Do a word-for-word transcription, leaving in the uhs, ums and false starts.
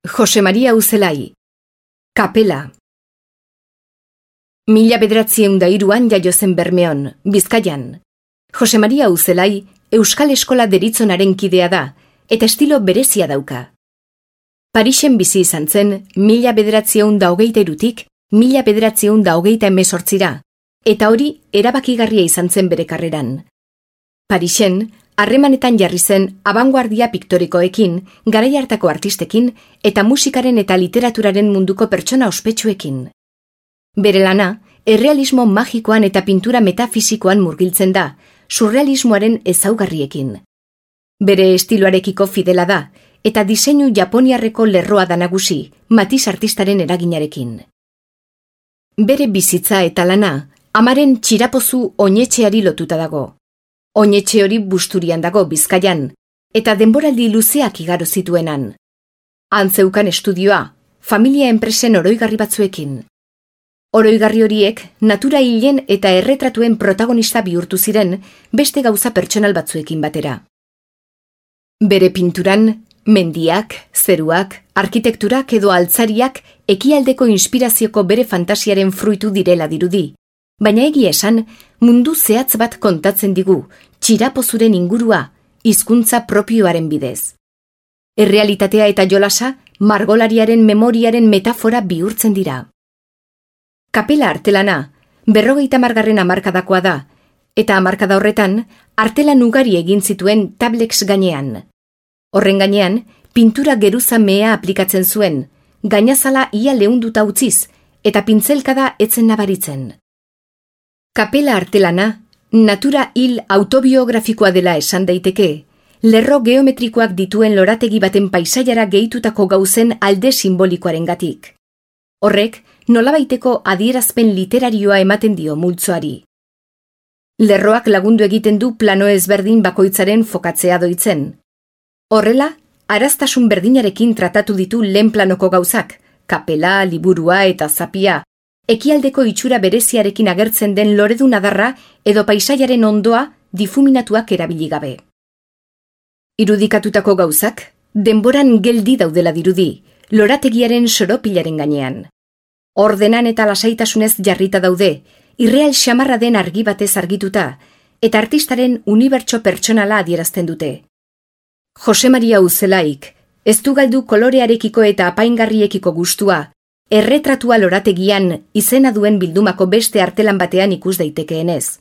Jose Maria Uzelai. Kapela. Mila bederatzieun da hiruan jaio zen Bermeon, Bizkaian. Jose Maria Uzelai Euskal Eskola deritzonaren kidea da, eta estilo berezia dauka. Parisen bizi izan zen mila bederatzieun da hogeita irutik, mila bederatzieun da hogeita emezortzira, eta hori erabakigarria izan zen bere karreran. Parisen, harremanetan jarri zen abanguardia piktorikoekin, garai hartako artistekin eta musikaren eta literaturaren munduko pertsona ospetsuekin. Bere lana, errealismo magikoan eta pintura metafisikoan murgiltzen da, surrealismoaren ezaugarriekin. Bere estiloarekiko fidela da, eta diseinu japoniarreko lerroa da nagusi, Matisse artistaren eraginarekin. Bere bizitza eta lana, amaren txirapozu oinetxeari lotuta dago. Oinetxe hori Busturian dago, Bizkaian, eta denboraldi luzeak igaro zituenan. Antzeukan estudioa, familia enpresen oroigarri batzuekin. Oroigarri horiek natura hilen eta erretratuen protagonista bihurtu ziren beste gauza pertsonal batzuekin batera. Bere pinturan, mendiak, zeruak, arkitekturak edo altzariak ekialdeko inspirazioko bere fantasiaren fruitu direla dirudi, baina egia esan mundu zehatz bat kontatzen digu, txirapozuren ingurua, hizkuntza propioaren bidez. Errealitatea eta jolasa margolariaren memoriaren metafora bihurtzen dira. Kapela artelana, berrogeita hamargarren hamarkadakoa da, eta hamarkada horretan, artelan ugari egin zituen tablex gainean. Horren gainean, pintura geruza mea aplikatzen zuen, gainazala ia leunduta utziz, eta pintzelkada etzen nabaritzen. Kapela artelana, natura hil autobiografikoa dela esan daiteke, lerro geometrikoak dituen lorategi baten paisaiara gehitutako gauzen alde simbolikoarengatik. Horrek, nolabaiteko adierazpen literarioa ematen dio multzoari. Lerroak lagundu egiten du plano ezberdin bakoitzaren fokatzea doitzen. Horrela, araztasun berdinarekin tratatu ditu lehen planoko gauzak, kapela, liburua eta zapia, ekialdeko itxura bereziarekin agertzen den loredun adarra edo paisaiaren ondoa difuminatuak erabili gabe. Irudikatutako gauzak, denboran geldi daudela dirudi, lorategiaren soropilaren gainean. Ordenan eta lasaitasunez jarrita daude, irreal xamarra den argi batez argituta, eta artistaren unibertso pertsonala adierazten dute. Jose Maria Uzelaik, ez du galdu kolorearekiko eta apaingarriekiko gustua, erretratua lorategian izena duen bildumako beste artelan batean ikus daitekeenez.